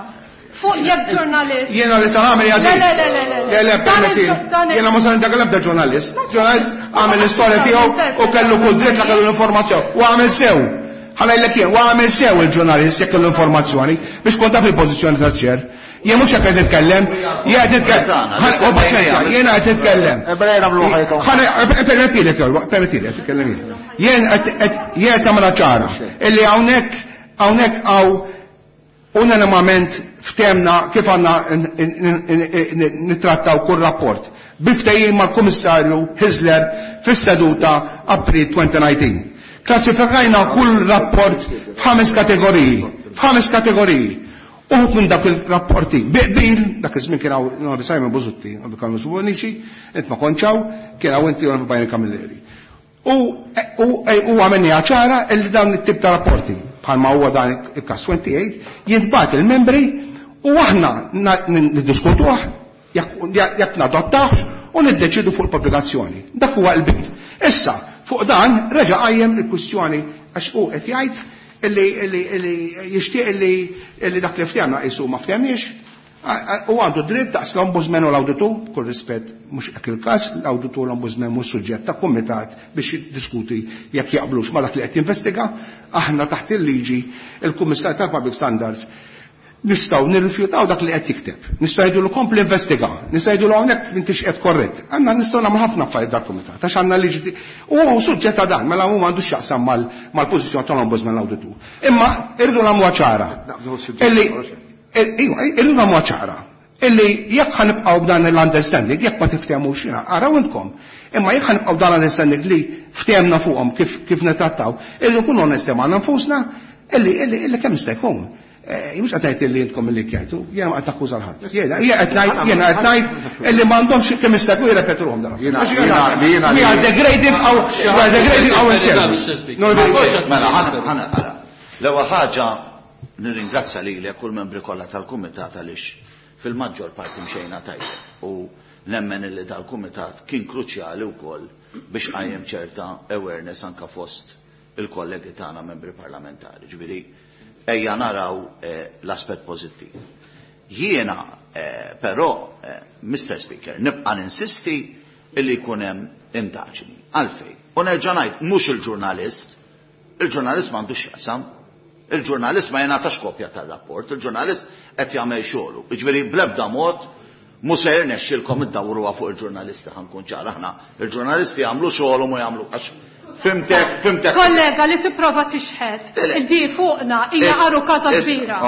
fuq jekk ġurnalist. Jiena li sa nagħmel hija Le, le, le, le, le. Le, le, permetti. Jiena ma se nindaga l-ebda ġurnalist. Ġurnalist għamel l-istorja tiegħu u kellu kull dritt la kellu l-informazzjoni. U għamel sew. Ħa ngħidlek jien, u għamel sew il-ġurnalist jekk kellu informazzjoni biex kont taf il-pożizzjoni taċ-ċer. Jien mhux hekk qed nitkellem, jien qed nitkellem. Jiena qed nitkellem. Permettilek, permettilek, titkellem jien. Jien qed jien tagħmilha ċara illi hawnhekk hawnhekk hawn unanimament ftehemna kif għandna nittrattaw kull rapport bi ftehim mal-Kummissarju Hyzler fis-seduta April 2019. Klassifikajna kull rapport f'ħames kategoriji, f'ħames kategoriji. Uħud minn dak il-rapporti bi qbil, dak iż-żmien kien hawn Onorevoli Simon Busuttil, Onorevoli Carlos Bonnici, int ma kontx hawn, kien hawn inti Onorevoli Byron Camilleri. U u għamilniha ċara li dawn it-tip ta' rapporti, bħalma huwa dan il-każ 28, jintbagħat il-membri u aħna niddiskutuh jekk nadottawhx u niddeċiedu fuq il-pubblikazzjoni. Dak huwa l-qbil. Issa, fuq dan reġa' qajjem il-kwistjoni għax hu qed jgħid illi illi illi jixtieq illi illi dak li ftehemna qisu ma ftehemniex. U għandu dritt daqs l-Ombudsman u l-Awditur, b'kull rispett mhux hekk il-każ, l-Awditur u l-Ombudsman mhux suġġett ta' kumitat biex jiddiskuti jekk jaqblux ma' dak li qed jinvestiga. Aħna taħt il-liġi, il-Kummissarju tal-Public Standards nistgħu nirrifjutaw dak li qed jikteb. Nistgħu ngħidulu kompli investiga, nistgħu ngħidulu hawnhekk m'intix qed korrett. Għandna nistgħu nagħmlu ħafna affarijiet dal-kumitat għax għandna liġi u hu suġġett ta' dan, mela hu m'għandux x'jaqsam mal-pożizzjoni tal-Ombudsman l-Awditur. Imma irridu nagħmluha ċara. Illi iva, irridu nagħmluha ċara. Illi jekk ħa nibqgħu b'dan l-understanding, jekk ma tiftehmux jiena, araw intkom. Imma jekk ħa nibqgħu dan l-understanding li ftehemna fuqhom kif kif nittrattaw, irridu nkunu onesti magħna nfusna illi illi illi kemm jista' jkun. Mhux qed ngħid illi intkom illi kjajtu, jiena ma qed nakkuża l ħadd. Jiena qed ngħid jiena qed ngħid illi m'għandhomx kemm jista' jkun jirrepetuhom dan. We are degrading our we are degrading ourselves. Mela, ħa naqra. L-ewwel ħaġa nirringrazzja lilek u l-membri kollha tal-kumitat għaliex fil-maġġor parti mxejna tajjeb u nemmen illi dal-kumitat kien kruċjali wkoll biex qajjem ċerta awareness anka fost il-kollegi tagħna membri parlamentari. Ġifieri ejja naraw l-aspett pożittiv. Jiena però, Mr. Speaker, nibqa' ninsisti illi jkun hemm indaġni. Għalfejn? U nerġa' ngħid mhux il-ġurnalist, il-ġurnalist m'għandux x'jaqsam. Il-ġurnalist ma jingħatax kopja tar-rapport, il-ġurnalist qed jagħmel xogħlu. Jiġifieri bl-ebda mod mhu se jirnexxilkom iddawruha fuq il-ġurnalisti ħa nkun ċar aħna. Il-ġurnalisti jagħmlu xogħolhom u jagħmlu għax fimtek, fimtek. Kollega li tipprova tixħet il-di fuqna hija għarukaża kbira.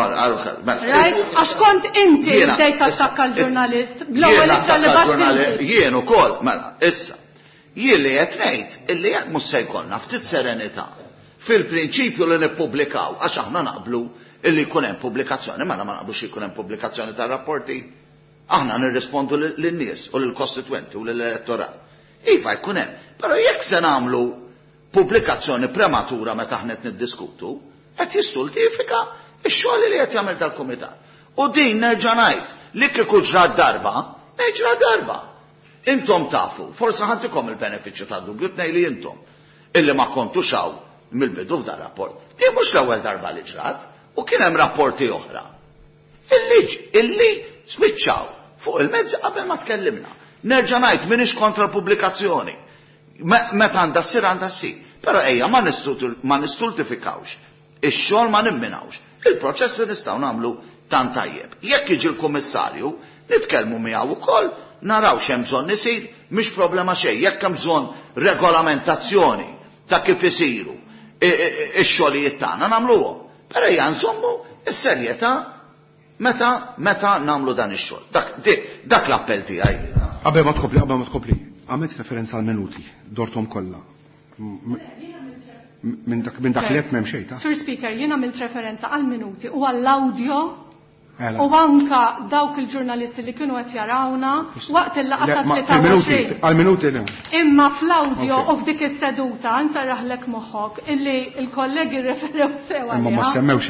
Mela, Right? Għax kont inti bdejt tattakka l-ġurnalist bl-ewwel ittra li bagħtilli. Jien ukoll, mela, issa. Jien li qed ngħid illi jekk mhux se jkollna ftit serenità fil-prinċipju li nippubblikaw għax aħna naqblu illi jkun hemm pubblikazzjoni, mela ma naqblux jkun hemm pubblikazzjoni tar-rapporti. Aħna nirrispondu lin-nies u lill-kostitwenti u lill-elettorat. Iva jkun hemm, però jekk se nagħmlu pubblikazzjoni prematura meta aħna qed niddiskutu, qed jistultifika Ix-xogħol li qed jagħmel dal-kumitat. U din nerġa' ngħid li kieku ġrat darba, ġra darba. Intom tafu, forsi ħa ntikom il-benefiċċju tad-dubju tnej li intom illi ma kontux hawn mill-bidu f'dan rapport. Din mhux l-ewwel darba li ġrat u kien hemm rapporti oħra. Illi spiċċaw fuq il-mezzi qabel ma tkellimna. Nerġa' ngħid m'iniex kontra l-pubblikazzjoni. Meta għandha ssir għandha ssir. Però ejja ma nistultifikawx. Ix-xogħol ma nimminawx. Il-proċess li nistgħu nagħmlu tant tajjeb. Jekk jiġi l-kummissarju, nitkellmu miegħu wkoll, naraw x'hemm bżonn isir, mhix problema xejn. Jekk hemm bżonn regolamentazzjoni ta' kif isiru ix-xogħlijiet tagħna nagħmluhom. Però ejja nżommu s-serjetà meta nagħmlu dan ix-xogħol. Dak l-appell tiegħi. Qabel ma tkompli, għamilt referenza għal minuti, dortom kollha. Minn dak li qed m'hemm xejn ta'. Sur Speaker, jien għamilt referenza għal minuti u għall-audio u anka dawk il-ġurnalisti li kienu qed jarawna waqt il-laqgħa ta' 23. Għal-minuti le. Imma fl-audio u f'dik is-seduta nsarraħlek moħħok illi l-kollegi rreferew sew Imma ma semmewx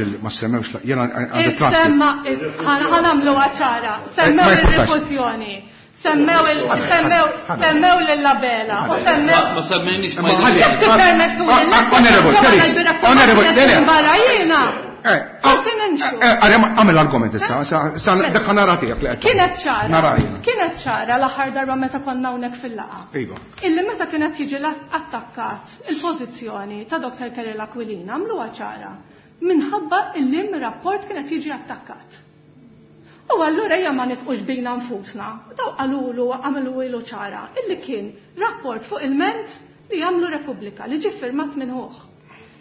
jiena għandi transcript. Ħa nagħmluha ċara. Semmew ir-rifużjoni. Semmew lil-Labela u semmew. Ma semmejniex ma. Jekk tippermettuli. Honorable, Barra jiena. Għamil argument issa, dak nara tiegħek li qed. Kienet ċara. Kienet ċara l-aħħar darba meta konna hawnhekk fil-laqgħa. Iva. Illi meta kienet jiġi attakkat il-pożizzjoni ta' Dr. Kerry Aquilina għamluha ċara minħabba illi rapport kienet jiġi attakkat. U allura ejja ma nitqux bina nfusna. Daw qalulu għamlu ilu ċara illi kien rapport fuq il-ment li jagħmlu Repubblika li ġie firmat minn ħuh.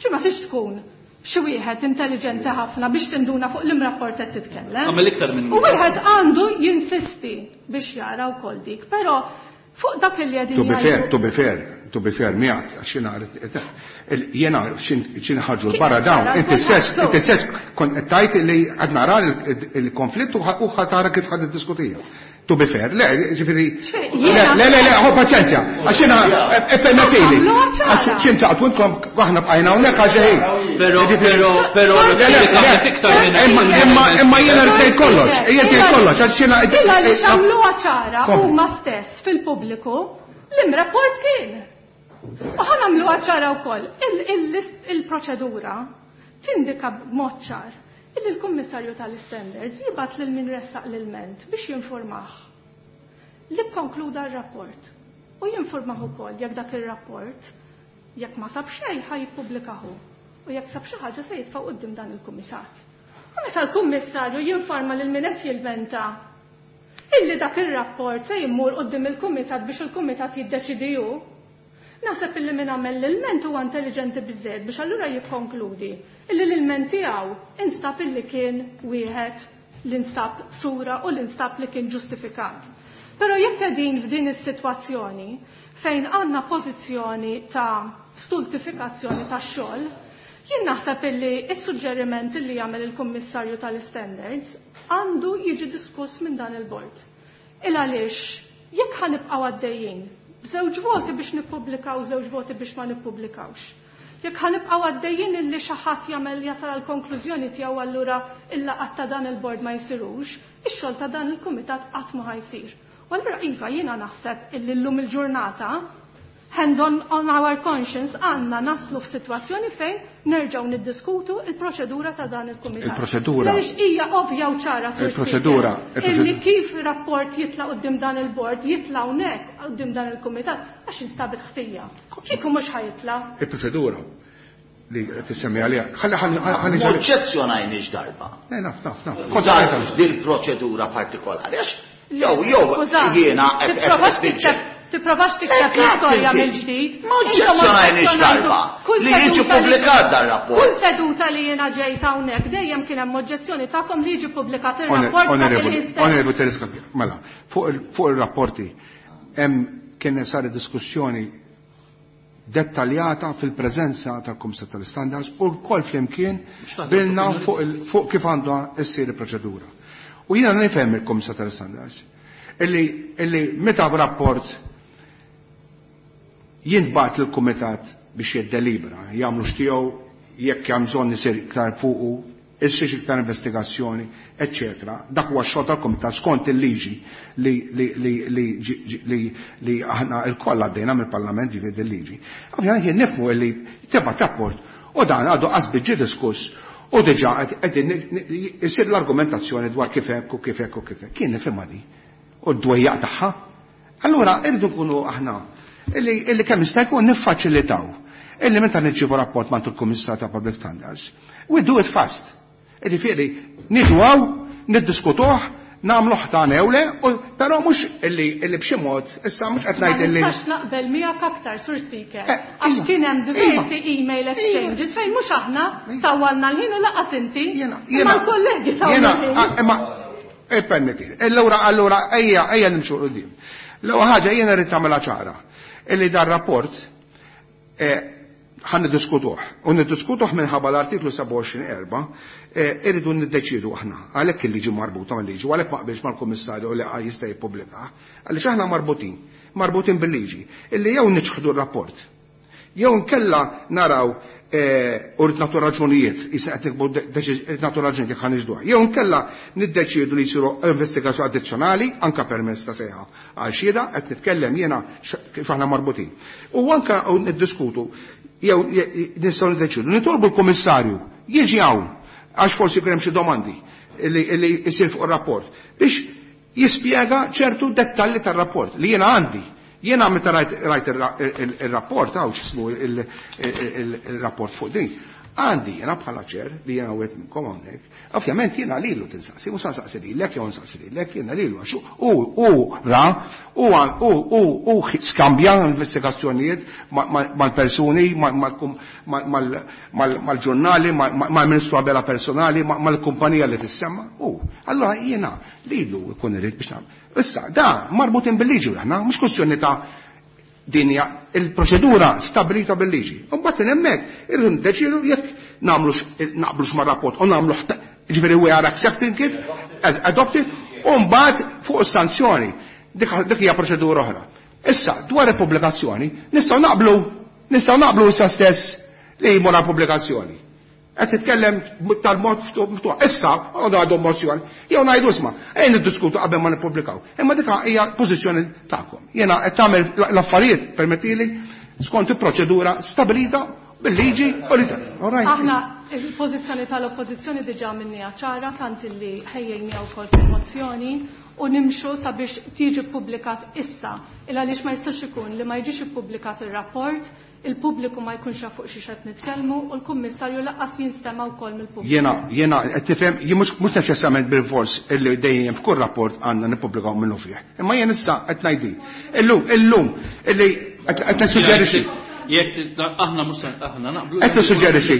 Ġi ma tix tkun xi wieħed intelligenti ħafna biex tinduna fuq l-imrapport qed titkellem. Għamel iktar minn U wieħed għandu jinsisti biex jara wkoll dik, però fuq dak li qegħdin To be fair, to be fair, to be fair miegħek għax jiena x'in ħarġu barra dawn, inti stess kont qed tgħid li qed nara il-konflitt u ħa tara kif ħad iddiskutija. To be fair, le, ġifieri, le, le, le, ħu paċenzja, għax jiena permettili, għax x'in taqtu intom aħna bqajna hawnhekk għal xejn. Però, però, però, imma jiena rrid ngħid kollox, jiena ngħid kollox, għax jiena. Illa li x'għamluha ċara huma stess fil-pubbliku l-imrapport kien. U ħa nagħmluha ċara wkoll, il-proċedura tindika b'mod ċar illi l-Kummissarju tal-Standards jibgħat lil min ressaq l-ilment biex jinformah li kkonkluda r-rapport u jinformah ukoll jekk dak ir-rapport jekk ma sab xejn ħa jippubblikahu u jekk sab xi ħaġa se jitfa' quddiem dan il-kumitat. U meta l-Kummissarju jinforma lil min qed jilmenta illi dak ir-rapport se jimmur quddiem il-kumitat biex il-kumitat jiddeċidi hu, naħseb illi min għamel l-ilment huwa intelligenti biżżejjed biex allura jikkonkludi illi l-ilment tiegħu instab illi kien wieħed li instab sura u li instab li kien ġustifikat. Però jekk qegħdin f'din is-sitwazzjoni fejn għandna pożizzjoni ta' stultifikazzjoni tax-xogħol, jien naħseb illi s-suġġeriment illi jagħmel il-Kummissarju tal-Standards għandu jiġi diskuss minn dan il-bord. Il għaliex jekk ħanibqgħu għaddejjin b'żewġ voti biex nippubblikaw, żewġ voti biex ma nippubblikawx. Jekk ħanibqgħu għaddejjin illi xi ħadd jagħmel jasal għall konklużjoni tiegħu allura il-laqgħat ta' dan il-bord ma jsirux, ix-xogħol ta' dan il-kumitat qatt ma ħajsir. U allura iva jiena naħseb illi llum il-ġurnata hand on our conscience għandna naslu f'sitwazzjoni fejn nerġgħu niddiskutu il-proċedura ta' dan il-kumitat. Il-proċedura. Għaliex hija ovvja u ċara, Sur Il-proċedura, Speaker, illi kif rapport jitla' quddiem dan il-bord, jitla' hawnhekk quddiem dan il-kumitat għax instabet ħtija. Kieku mhux ħajitla'. Il-proċedura li tissemmi għaliha. Ħalli, ħalli, ħalli, ħalli Ma oġġezzjonajniex darba. Le, naf, naf, naf. Kont f'dil proċedura partikolari, għax jew, jew, Skużani, jiena qed tipprovax qed tikteb Tipprovax tikteb l-istorja mill-ġdid. Ma oġġezzjonajniex darba li jiġi pubblikat dan rapport. Kull seduta li jiena ġejt hawnhekk dejjem kien hemm oġġezzjoni tagħkom li jiġi pubblikat ir-rapport ta' kien jistess. Onorevoli Tereska, mela, fuq ir-rapporti hemm kien saret diskussjoni dettaljata fil-preżenza tal-Kummissar tal-Standards u wkoll flimkien bilna fuq kif għandha ssir il-proċedura. U jiena nifhem il-Kummissar tal-Standards illi meta rapport jintbagħat lill-Kumitat biex jiddelibra, jagħmlu x'tiegħu jekk hemm bżonn isir iktar fuqu, issir iktar investigazzjoni, eċċetera. Dak huwa x-xogħol tal-Kumitat skont il-liġi li li li li li li aħna lkoll għaddejna mill-Parlament ġifieri il-liġi. Ovvjament jien nifhmu li tibgħat rapport u dan għadu qas ġie diskuss u diġà qegħdin isir l-argumentazzjoni dwar kif hekk u kif hekk u kif hekk. Kien nifhimha di. U d-dwejjaq tagħha. Allura irridu nkunu aħna illi kemm jista' jkun niffaċilitaw illi meta nirċievu rapport mant il-Kummissar ta' Public Standards, we do it fast. Jiġifieri niġu hawn, niddiskutuh, nagħmluh ta' newle, però mhux illi illi b'xi mod, issa mhux qed ngħid illi. Ma nistax naqbel miegħek aktar, Sur Speaker, għax kien hemm diversi email exchanges fejn mhux aħna tawwalna l-ħin u laqas inti, imma l-kollegi tawwalna l-ħin. Imma ippermettili. Allura allura ejja ejja nimxu 'l quddiem. L-ewwel ħaġa jiena rrid tagħmilha ċara illi dar rapport ħa niddiskutuh. U niddiskutuh minħabba l-artiklu 27.4 irridu niddeċiedu aħna. Għalhekk il-liġi marbuta mal-liġi, u għalhekk ma qbilx mal-Kummissarju li qal jista' jippubblikah. Għaliex aħna marbutin, marbutin bil-liġi, illi jew niċħdu r-rapport, jew nkella naraw u rrid nagħtu raġunijiet, issa qed nikbu rrid nagħtu raġunijiet jekk ħa niġduha. Jew nkella niddeċiedu li jsiru investigazzjoni addizzjonali anke permezz ta' sejħa għal xhieda, qed nitkellem jiena kif aħna marbutin. U anke niddiskutu jew nistgħu niddeċiedu nitolbu l-Kummissarju jiġi hawn għax forsi jkun hemm xi domandi li jsir fuq ir-rapport biex jispjega ċertu dettalji tar-rapport li jiena għandi. Jiena meta rajt ir-rapport hawn x'ismu il-rapport fuq din. Għandi jiena bħala ċer li jiena wieħed minnkom hawnhekk, ovvjament jiena lilu tinsaqsi, mhux nsaqsi lilek jew nsaqsi lilek, jiena lilu għax hu ra, hu skambja investigazzjonijiet mal-persuni, mal-ġurnali, mal-Ministru Abela personali, mal-kumpanija li tissemma, hu. Allura jiena lilu jkun irid biex nagħmel. Issa, da marbutin bil-liġi aħna, mhux kwestjoni ta' dinja, il-proċedura stabilita bil-liġi. U mbagħad hemmhekk irridu ndeċidu jekk nagħmlux naqblux mar-rapport u nagħmlu ġifieri we are accepting it as adopted, u mbagħad fuq is-sanzjoni. Dik hija proċedura oħra. Issa, dwar il-pubblikazzjoni, nistgħu naqblu, nistgħu naqblu issa stess li jmur għall-pubblikazzjoni. Qed titkellem tal-mod miftuħ. Issa, għadu għadu mozzjoni. Jew ngħidu isma', ejja niddiskutu qabel ma nippubblikaw. Imma dik hija pożizzjoni tagħkom. Jiena qed tagħmel l-affarijiet, permettili, skont il-proċedura stabilita bil-liġi u li All right. Aħna il-pożizzjoni tal-oppożizzjoni diġà minnija ċara tant illi ħejjejna wkoll fil-mozzjoni u nimxu sabiex tiġi ppubblikat issa. Il għaliex ma jistax ikun li ma jiġix ippubblikat ir-rapport, il-pubbliku ma jkunx jaf fuq xi qed nitkellmu u l-kummissarju lanqas jinstema' wkoll mill-pubbliku. Jiena qed tifhem, jien mhux neċessarjament bil-fors illi dejjem f'kull rapport għandna nippubblikaw minnu fih. Imma jien issa qed ngħidi. Illum, illum illi qed nissuġġerixxi. Jekk aħna mhux aħna naqblu. Qed nissuġġerixxi.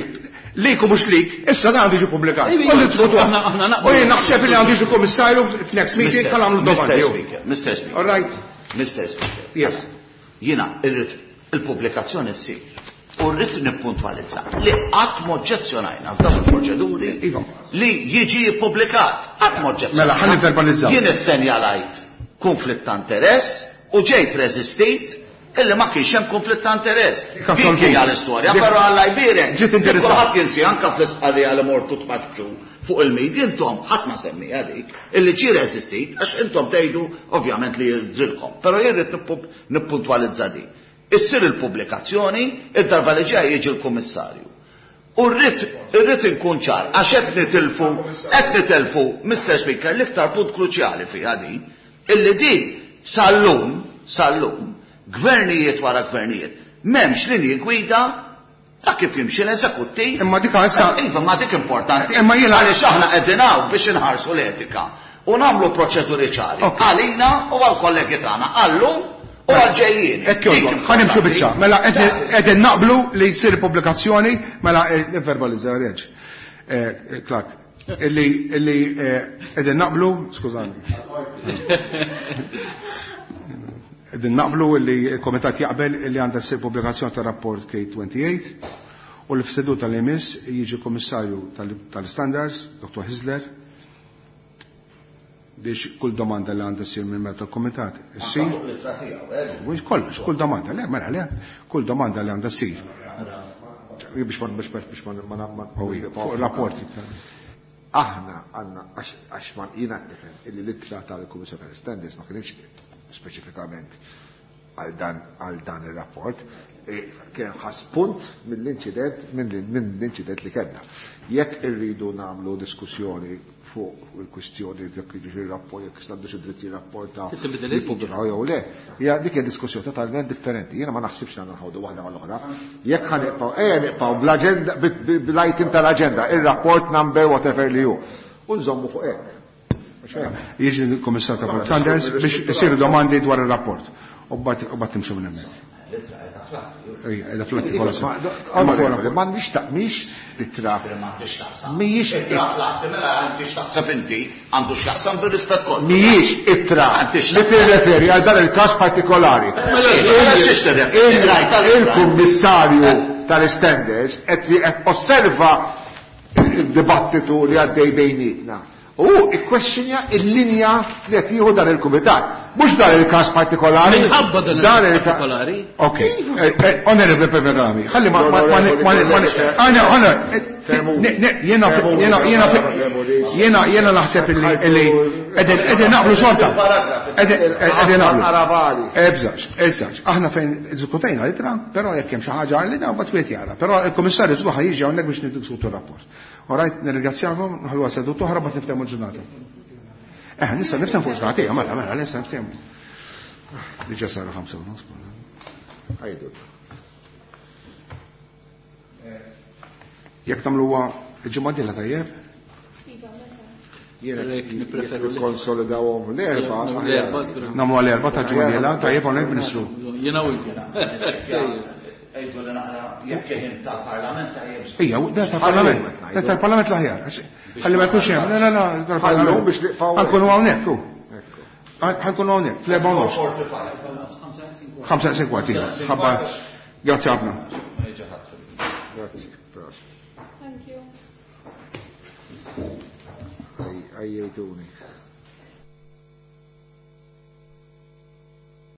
Lik u mhux lik, issa dan għandu jiġi ppubblikat. Iva, U niddiskutuh. aħna naqblu. U jien naħseb li għandu jiġi kummissarju f'next meeting ħa nagħmlu domandi. Mr. Speaker, Mr. Speaker. All right. Mr. Speaker. Yes. Jiena irrid il-pubblikazzjoni ssir. U rrid nippuntwalizza li qatt m'oġġezzjonajna f'dawn il-proċeduri Iva. li jiġi ppubblikat. Qatt m'oġġezzjonajna. Mela, ħalli verbalizzaw. Jien issenjalajt konflitt ta' interess u ġejt reżistit illi ma kienx hemm konflitt ta' interess. Dik Dik assolvut. hija l-istorja, Dik però Alla jbierek. Ġiet interessat. Kulħadd jinsi anke fl-istqarrija li mortu tpaċċu fuq il-media intom ħadd ma semmiha dik illi ġie reżistit għax intom tgħidu ovvjament li jidrilkom. Però jien rrid nippuntwalizza din. Issir il-pubblikazzjoni, id-darba li ġej jiġi l-kummissarju. U rrid inkun ċar, għax qed nitilfu, qed nitilfu, Mr. Speaker, l-iktar punt kruċjali fiha din, illi din sal-lum, sal-lum, gvernijiet wara gvernijiet, m'hemmx linji gwida ta' kif jimxi l-eżekuttiv. Imma dik issa Iva, ma dik importanti. Imma jiena għaliex aħna qegħdin hawn biex inħarsu l-etika u nagħmlu proċeduri ċari. Ok. Għalina u għall-kollegi tagħna, għallum u għal-ġejjieni. Hekk jogħġbok, Dik ħa nimxu importanti. biċċa. Mela qegħdin naqblu li jsir pubblikazzjoni, mela nivverbalizza reġ. Clark, illi qegħdin naqblu, skużani. Qegħdin naqblu li l-Komitat jaqbel li għandha ssir pubblikazzjoni tar-rapport K28 u li f'seduta li jmiss jiġi Kummissarju tal-Standards, Dr. Hyzler, biex kull domanda li għandha ssir minn meta l-Komitat issir. Anka fuq l-ittra tiegħu, eh? Mhux kollox, kull domanda, le, mela, le, kull domanda li għandha ssir. Biex ma, biex ma, biex ma, ma, ma, Oh, iva, fuq rapporti. Aħna għandna għax ma jiena nifhem illi l-ittra tal-Kummissjoni tal-Standards ma kienx speċifikament għal dan ir-rapport, kien ħass punt mill-inċident mill-inċident li kellna. Jekk irridu nagħmlu diskussjoni fuq il-kwistjoni jekk jiġu rapport jekk għandu xi dritt jirrapporta jippubblikaw jew le, hija dik hija diskussjoni totalment differenti. Jiena ma naħsibx li nħawdu waħda mal-oħra. Jekk ħa nibqgħu ejja nibqgħu bl-aġenda bl-item tal-aġenda, ir-rapport number whatever li hu. U nżommu fuq hekk. Jiġi l-Kummissar ta' Sanders biex isiru domandi dwar ir-rapport. U mbagħad timxu minn hemmhekk. Qiegħda fl-atti kollha. M'għandix mhix ittra. Mhijiex ittra fl-atti mela għandi x'taqsam inti, għandu x'jaqsam bir-rispett kollu. Mhijiex ittra li tirreferi għal dan il-każ partikolari. Il-Kummissarju tal-Standards qed osserva il-dibattitu li għaddej bejnietna. U ikkwestjonja il-linja li qed jieħu dan il-kumitat. Mhux dan il-każ partikolari. Minħabba dan il-każ partikolari. Ok. Onorevole Peverami, ħalli ma jiena jiena jiena jiena naħseb illi qegħdin naqblu xorta. Qegħdin naqblu. Ebżax, ebżax. Aħna fejn diskutejna l-ittra, però jekk hemm xi ħaġa li dan mbagħad wieħed jara. Però il-Kummissarju żgur ħa jiġi hawnhekk biex niddiskutu r-rapport. Alright, nirringrazzjakom, nħallu seduta oħra mbagħad niftehmu l-ġurnata. Nista' nifthem fuq ġurnata, mela, mela, nista' niftehmu. Diġà saru 5:30. Għajdu. Jekk tagħmluha il-ġimgħa d-dieħla tajjeb? Jiena konsolidawhom l-erba'. Nagħmlu l-erba' ta' ġimgħa d-dieħla, tajjeb hawnhekk Ministru. Jiena u Ejdu li naqra jekk kien tal-Parlament tajjeb. Ija, da tal-Parlament. Da tal-Parlament l-aħjar. Ħalli ma jkunx hemm. Le, le, le, tal-Parlament. Biex nibqgħu. Ħa nkunu hawnhekk. Ħa nkunu hawnhekk, fl-4:30. 5:15, iva. Ħabba. Grazzi ħafna. Grazzi. Thank you. Għajjejtuni.